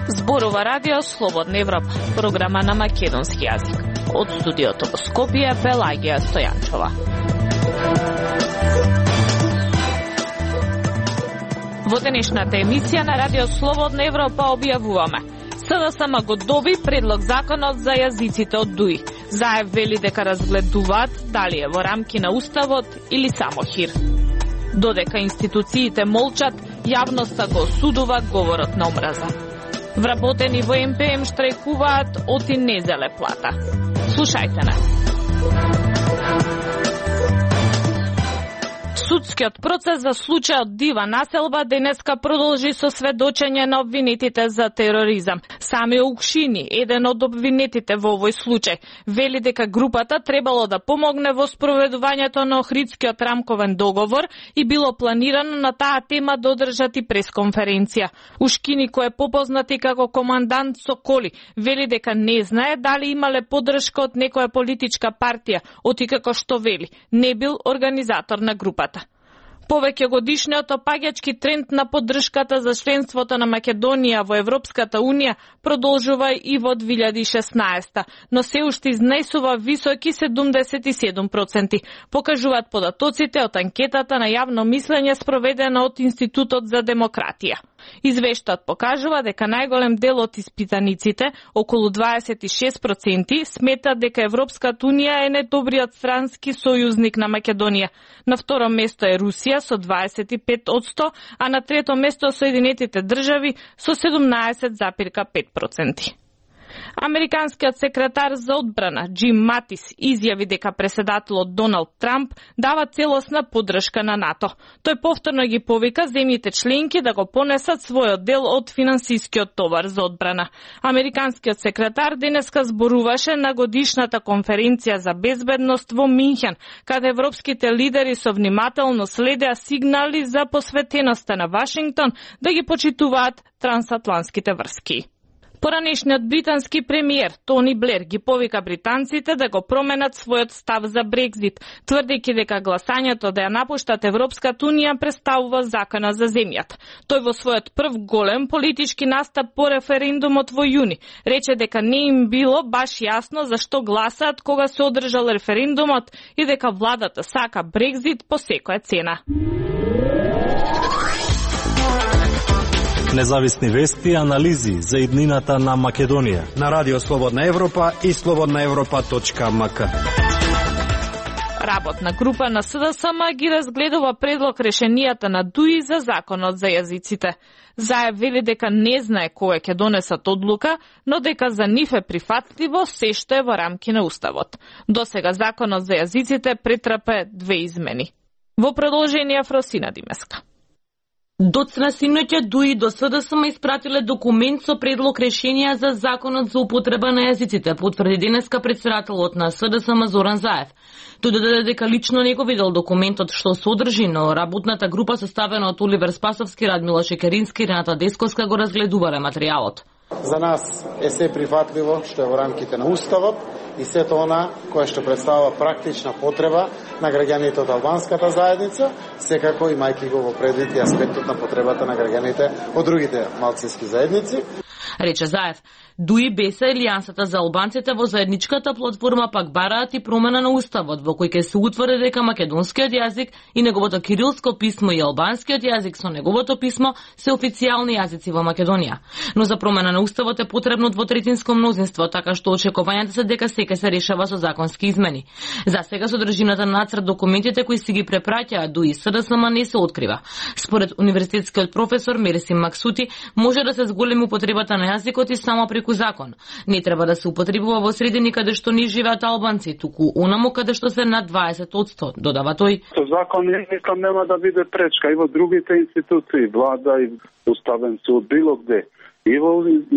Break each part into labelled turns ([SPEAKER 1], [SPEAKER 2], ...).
[SPEAKER 1] Зборува радио Слободна Европа, програма на македонски јазик. Од студиото во Скопје, Пелагија Стојанчова. Во денешната емисија на радио Слободна Европа објавуваме: СДСМ го доби предлог законот за јазиците од ДУИ. Заев вели дека разгледуваат дали е во рамки на уставот или само хир. Додека институциите молчат, јавноста го осудува говорот на омраза. Вработени во МПМ штрајкуваат, оти не зеле плата. Слушајте на. Судскиот процес за случајот Дива населба денеска продолжи со сведочење на обвинетите за тероризам. Сами Укшини, еден од обвинетите во овој случај, вели дека групата требало да помогне во спроведувањето на Охридскиот рамковен договор и било планирано на таа тема да одржат и пресконференција. Ушкини, кој е попознат и како командант Соколи, вели дека не знае дали имале поддршка од некоја политичка партија, оти како што вели, не бил организатор на групата. Повеќе годишниот опаѓачки тренд на поддршката за членството на Македонија во Европската Унија продолжува и во 2016, но се уште изнесува високи 77%, покажуваат податоците од анкетата на јавно мислење спроведена од Институтот за демократија. Извештајот покажува дека најголем дел од испитаниците, околу 26%, сметат дека Европската Унија е најдобриот странски сојузник на Македонија. На второ место е Русија со 25%, а на трето место Соединетите држави со 17,5%. Американскиот секретар за одбрана Джим Матис изјави дека преседателот Доналд Трамп дава целосна поддршка на НАТО. Тој повторно ги повика земјите членки да го понесат својот дел од финансискиот товар за одбрана. Американскиот секретар денеска зборуваше на годишната конференција за безбедност во Минхен, каде европските лидери со внимателно следеа сигнали за посветеноста на Вашингтон да ги почитуваат трансатлантските врски. Поранешниот британски премиер Тони Блер ги повика британците да го променат својот став за Брекзит, тврдејќи дека гласањето да ја напуштат Европската Унија представува закана за земјата. Тој во својот прв голем политички настап по референдумот во јуни рече дека не им било баш јасно зашто гласаат кога се одржал референдумот и дека владата сака Брекзит по секоја цена.
[SPEAKER 2] Независни вести и анализи за иднината на Македонија
[SPEAKER 3] на Радио Слободна Европа и slobodnaevropa.mk.
[SPEAKER 1] Работна група на СДСМ ги разгледува предлог решенијата на ДУИ за законот за јазиците. Заев вели дека не знае кога ќе донесат одлука, но дека за нив е прифатливо се што е во рамки на уставот. Досега законот за јазиците претрпе 2 измени. Во продолжение Фросина Димеска.
[SPEAKER 4] Доцна синоќа ДУИ до СДСМ испратиле документ со предлог решенија за законот за употреба на јазиците, потврди денеска председателот на СДСМ Зоран Заев. Тој додаде дека лично не го видел документот што содржи, но работната група составена од Оливер Спасовски, Радмила Шекерински и Рената Десковска го разгледувале материјалот.
[SPEAKER 5] За нас е се прифатливо што е во рамките на уставот и сето она кое што представува практична потреба на граѓаните од албанската заедница, секако имајќи го во предвид и аспектот на потребата на граѓаните од другите малцински заедници.
[SPEAKER 4] Рече Заев, ДУИ БЕСА и Алијансата за албанците во заедничката платформа пак бараат и промена на уставот во кој ќе се утврди дека македонскиот јазик и неговото кирилско писмо и албанскиот јазик со неговото писмо се официјални јазици во Македонија. Но за промена на уставот е потребно двотретинско мнозинство, така што очекувањата се дека сека се решава со законски измени. За сега содржината на нацрт документите кои си ги препраќаат ДУИ СДСМ не се открива. Според универзитетскиот професор Мерсим Максути, може да се зголеми употребата на јазикот и само преку закон. Не треба да се употребува во средини каде што не живеат албанци, туку онаму каде што се над 20%, додава тој.
[SPEAKER 6] Со закон мислам нема да биде пречка и во другите институции, влада и уставен суд, било кде. и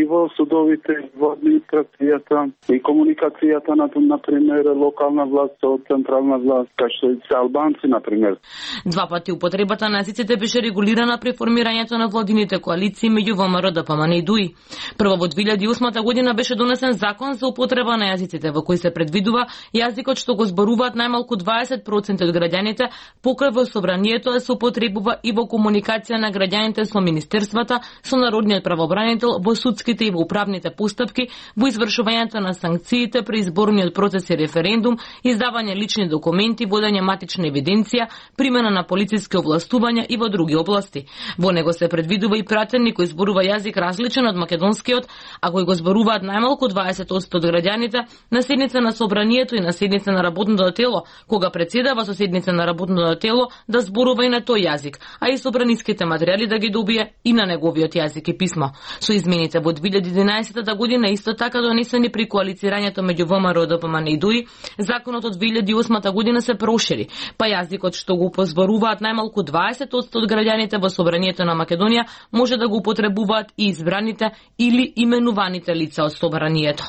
[SPEAKER 6] во судовите, и во администрацијата, и комуникацијата на пример локална власт со централна власт, кај што и се албанци на пример.
[SPEAKER 4] Два пати употребата на езиците беше регулирана при формирањето на владините коалиции меѓу ВМРО, ДПМН и ДУИ. Прво во 2008 година беше донесен закон за употреба на езиците во кој се предвидува јазикот што го зборуваат најмалку 20% од граѓаните покрај во собранието да се употребува и во комуникација на граѓаните со министерствата, со народниот правобранител, во судските и во управните постапки, во извршувањето на санкциите при изборниот процес и референдум, издавање лични документи, водење матична евиденција, примена на полициски овластувања и во други области. Во него се предвидува и пратеник кој зборува јазик различен од македонскиот, а кој го зборуваат најмалку 20% од граѓаните, на седница на собранието и на седница на работното тело, кога председава со седница на работното тело да зборува и на тој јазик, а и собраниските материјали да ги добие и на неговиот јазик и писмо. Со измените во 2011 година исто така донесени при коалицирањето меѓу ВМРО, ДПМН и ДУИ, законот од 2008 година се прошири, па јазикот што го позборуваат најмалку 20% од граѓаните во собранието на Македонија може да го употребуваат и избраните или именуваните лица од собранието.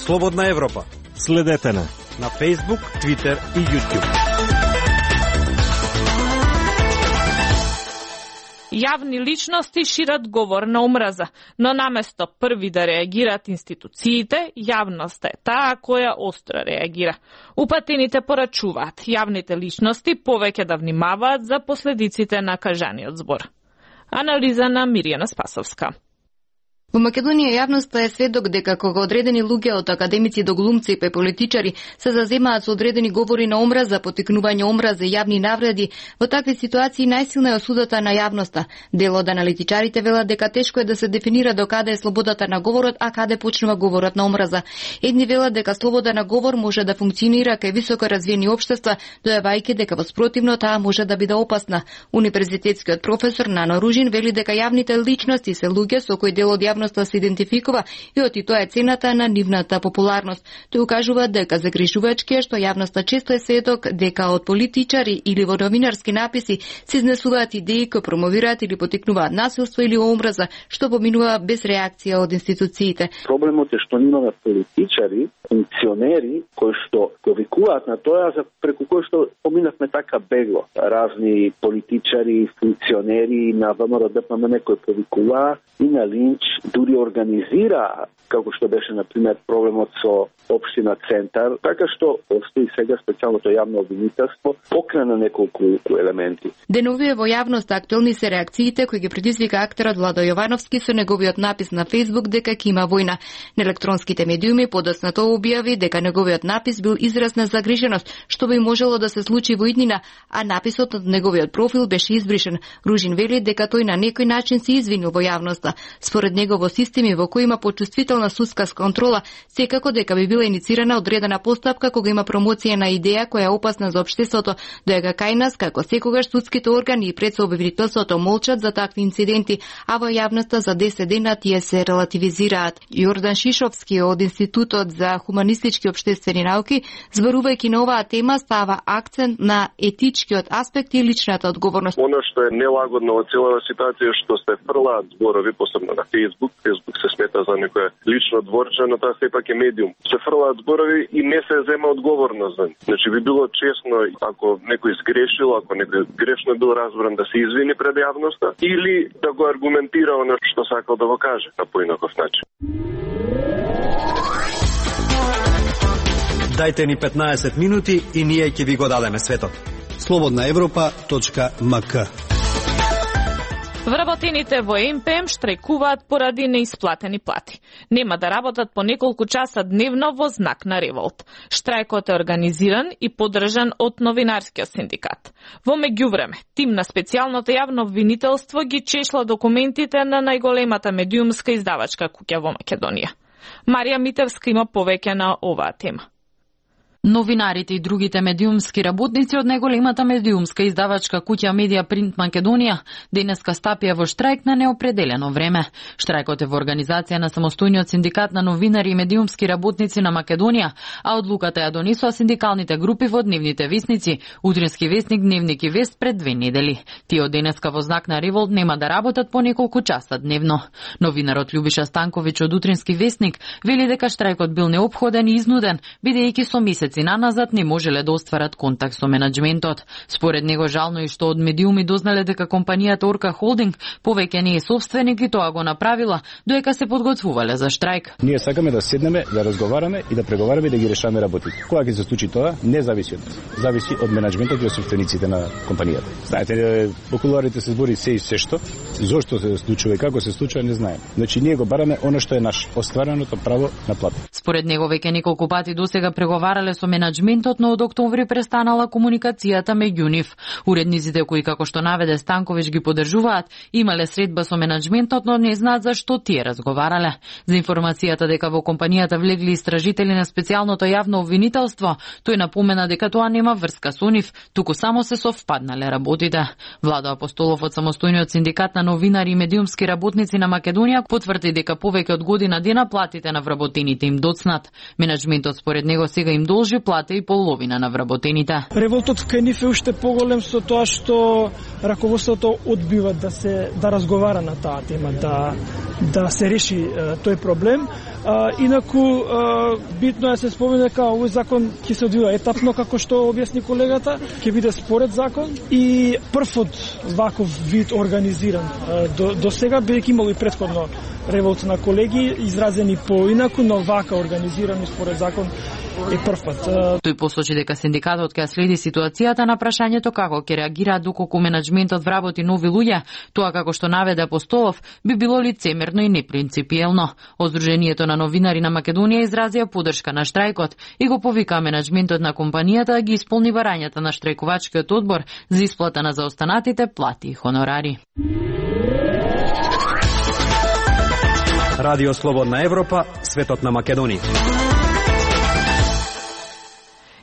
[SPEAKER 3] Слободна Европа.
[SPEAKER 2] Следете на
[SPEAKER 3] Facebook, Twitter и YouTube.
[SPEAKER 1] Јавни личности шират говор на омраза, но наместо први да реагираат институциите, јавноста е таа која остро реагира. Упатените порачуваат јавните личности повеќе да внимаваат за последиците на кажаниот збор. Анализа на Мирјана Спасовска.
[SPEAKER 7] Во Македонија јавноста е сведок дека кога одредени луѓе од академици до глумци и политичари се заземаат со одредени говори на омраза, потикнување омраза и јавни навреди, во такви ситуации најсилна е осудата на јавноста. Дел од аналитичарите велат дека тешко е да се дефинира до каде е слободата на говорот, а каде почнува говорот на омраза. Едни велат дека слобода на говор може да функционира кај високо развиени општества, дојавајќи дека во спротивно таа може да биде опасна. Универзитетскиот професор Нано Ружин вели дека јавните личности се луѓе со кои дел од јавноста се идентификува и оти тоа е цената на нивната популарност. Тој укажува дека загрижувачки е што јавноста често е сведок дека од политичари или во новинарски написи се изнесуваат идеи кои промовираат или потикнуваат насилство или омраза, што поминува без реакција од институциите.
[SPEAKER 6] Проблемот е што имаме политичари, функционери кои што го викуваат на тоа за преку кои што поминавме така бегло. Разни политичари, функционери на ВМРО, ДПМН кои повикуваа и на линч, дури организира, како што беше, например, проблемот со општина Центар, така што постои сега специјалното јавно обвинителство покрена неколку елементи.
[SPEAKER 7] Деновие во јавноста актуелни се реакциите кои ги предизвика актерот Владо Јовановски со неговиот напис на Facebook дека ќе има војна. На електронските медиуми подоцна тоа објави дека неговиот напис бил израз на загриженост, што би можело да се случи во иднина, а написот од неговиот профил беше избришен. Ружин вели дека тој на некој начин се извинил во јавноста. Според него во системи во кои има почувствителна судска контрола, секако дека би била иницирана одредена постапка кога има промоција на идеја која е опасна за општеството, дека кај нас како секогаш судските органи и предсообвинителството молчат за такви инциденти, а во јавноста за 10 дена тие се релативизираат. Јордан Шишовски од Институтот за хуманистички општествени науки, зборувајќи на оваа тема, става акцент на етичкиот аспект и личната одговорност.
[SPEAKER 8] Оно што е нелагодно во целава ситуација што се фрлаат зборови, посебно на Facebook се смета за некоја лично дворче, но тоа сепак е медиум. Се фрлаат зборови и не се зема одговорност за нив. Значи би било честно ако некој сгрешил, ако некој грешно бил разбран да се извини пред јавноста или да го аргументира оно што сакал да го каже на поинаков начин.
[SPEAKER 3] Дајте ни 15 минути и ние ќе ви го дадеме светот. slobodnaevropa.mk.
[SPEAKER 1] Вработените во МПМ штрајкуваат поради неисплатени плати. Нема да работат по неколку часа дневно во знак на револт. Штрајкот е организиран и поддржан од новинарскиот синдикат. Во меѓувреме, тим на специјалното јавно обвинителство ги чешла документите на најголемата медиумска издавачка куќа во Македонија. Марија Митевска има повеќе на оваа тема.
[SPEAKER 9] Новинарите и другите медиумски работници од најголемата медиумска издавачка куќа Медија Принт Македонија денеска стапија во штрајк на неопределено време. Штрајкот е во организација на самостојниот синдикат на новинари и медиумски работници на Македонија, а одлуката ја донесоа синдикалните групи во дневните весници, Утрински весник, Дневник и Вест пред 2 недели. Тие од денеска во знак на револт нема да работат по неколку часа дневно. Новинарот Љубиша Станковиќ од Утрински весник вели дека штрајкот бил неопходен и изнуден, бидејќи со месеци наназад не можеле да остварат контакт со менаџментот. Според него жално и што од медиуми дознале дека компанијата Орка Холдинг повеќе не е собственик и тоа го направила додека се подготвувале за штрајк.
[SPEAKER 10] Ние сакаме да седнеме, да разговараме и да преговараме и да ги решаваме работите. Кога ќе се случи тоа, не зависи од нас. Зависи од менаџментот и од собствениците на компанијата. Знаете, по кулуарите се збори се и се што, зошто се случува и како се случува не знаеме. Значи ние го бараме она што е наше, оствареното право на плата.
[SPEAKER 9] Според него веќе неколку пати досега преговарале со менаџментот, но од октомври престанала комуникацијата меѓу нив. Уредниците кои, како што наведе Станковиќ, ги поддржуваат, имале средба со менаџментот, но не знаат зашто тие разговарале. За информацијата дека во компанијата влегли истражители на специјалното јавно обвинителство, тој напомена дека тоа нема врска со нив, туку само се совпаднале работите. Владо Апостолов од самостојниот синдикат на новинари и медиумски работници на Македонија потврди дека повеќе од година дена платите на вработените им доцнат. Менаџментот според него сега им должи плата и половина на вработените.
[SPEAKER 11] Револтот кај нив е уште поголем со тоа што раководството одбива да разговара на таа тема, да се реши тој проблем. Инаку битно е се спомне дека овој закон ќе се одвива етапно, како што објасни колегата, ќе биде според закон и првот ваков вид организиран до сега, бидејќи имало и претходно револт на колеги изразени поинаку, но вака организирани според закон е прв пат.
[SPEAKER 9] Тој посочи дека синдикатот ќе следи ситуацијата на прашањето како ќе реагира доколку менаџментот вработи нови луѓе. Тоа, како што наведе Апостолов, би било лицемерно и непринципиелно.Оздруженијето на новинари на Македонија изразија поддршка на штрајкот и го повика менаџментот на компанијата да ги исполни барањата на штрајкувачкиот одбор за исплата на заостанатите плати и хонорари.
[SPEAKER 3] Радио Слободна Европа, светот на Македонија.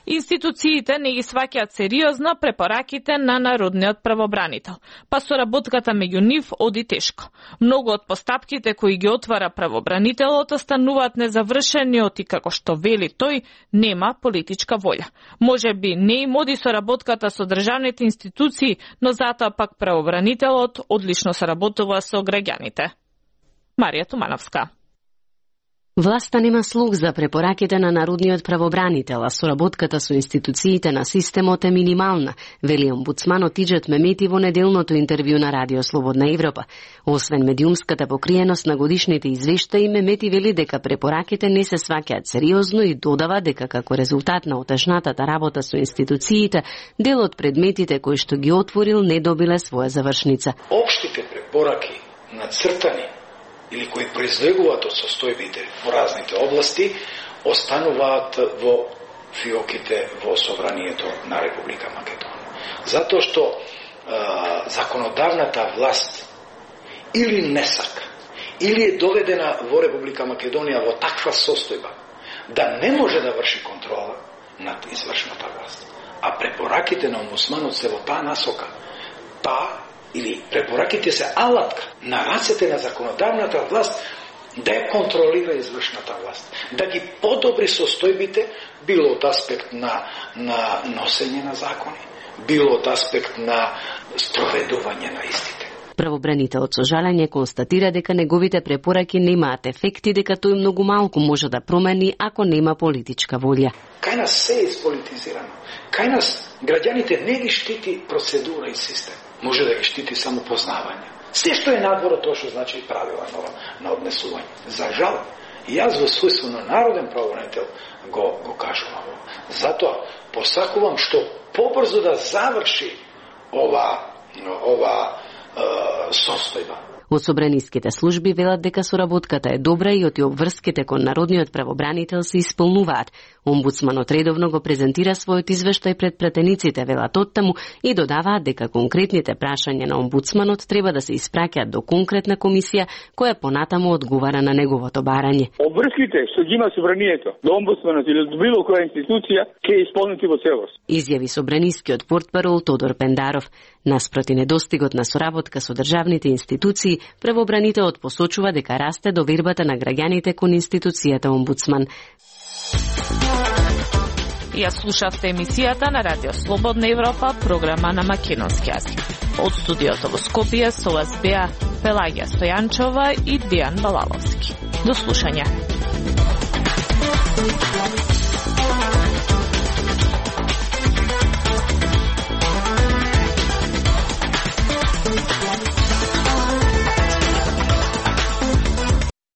[SPEAKER 1] Институциите не ги сваќаат сериозно препораките на народниот правобранител, па соработката меѓу нив оди тешко. Многу од постапките кои ги отвара правобранителот остануваат незавршени и како што вели тој, нема политичка волја. Може би не им оди соработката со државните институции, но затоа пак правобранителот одлично соработува со граѓаните. Марија Тумановска.
[SPEAKER 12] Власта нема слух за препораките на народниот правобранител, а соработката со институциите на системот е минимална, вели омбудсманот Иџет Мемети во неделното интервју на Радио Слободна Европа. Освен медиумската покриеност на годишните извештаи, Мемети вели дека препораките не се сваќаат сериозно и додава дека како резултат на отежнатата работа со институциите, дел од предметите кои што ги отворил не добиле своја завршница.
[SPEAKER 13] Општите препораки нацртани или кои произлегуваат од состојбите во разните области, остануваат во фиоките во собранието на Република Македонија. Затоа што законодавната власт или не сака, или е доведена во Република Македонија во таква состојба да не може да врши контрола над извршната власт. А препораките на омбудсманот се во таа насока. Или препораките се алатка на рацете на законодавната власт да ја контролира извршната власт, да ги подобри состојбите, било од аспект на носење на закони, било од аспект на спроведување на истите.
[SPEAKER 12] Правобранителот со жалење констатира дека неговите препораки немаат ефекти, дека тој многу малку може да промени ако нема политичка волја.
[SPEAKER 13] Кај нас се е ispolitizirano. Кај нас граѓаните не ги штити процедура и систем. Може да ги штити само познавање. Се што е надвор од тоа што значи и правила на однесување. За жал, јас во својство на народен правобранител го кажувам. Затоа посакувам што побрзо да заврши ова состојба.
[SPEAKER 12] Од собраниските служби велат дека соработката е добра и оти обврските кон народниот правобранител се исполнуваат. Омбудсманот редовно го презентира својот извештај пред пратениците, велат оттаму, и додаваат дека конкретните прашања на омбудсманот треба да се испраќаат до конкретна комисија која понатаму одговара на неговото барање.
[SPEAKER 14] Обврските што ги има собранието до омбудсманот или до било која институција ќе исполнити во целост.
[SPEAKER 12] Изјави собранискиот портпарол Тодор Пендаров. Наспроти недостигот на соработка со државните институции, правобранителот посочува дека расте довербата на граѓаните кон институцијата омбудсман.
[SPEAKER 1] Ја слушавте емисијата на Радио Слободна Европа, програма на македонски јазик. Од студиото во Скопје со вас беа Пелагија Стојанчова и Дијан Балаловски. До слушање.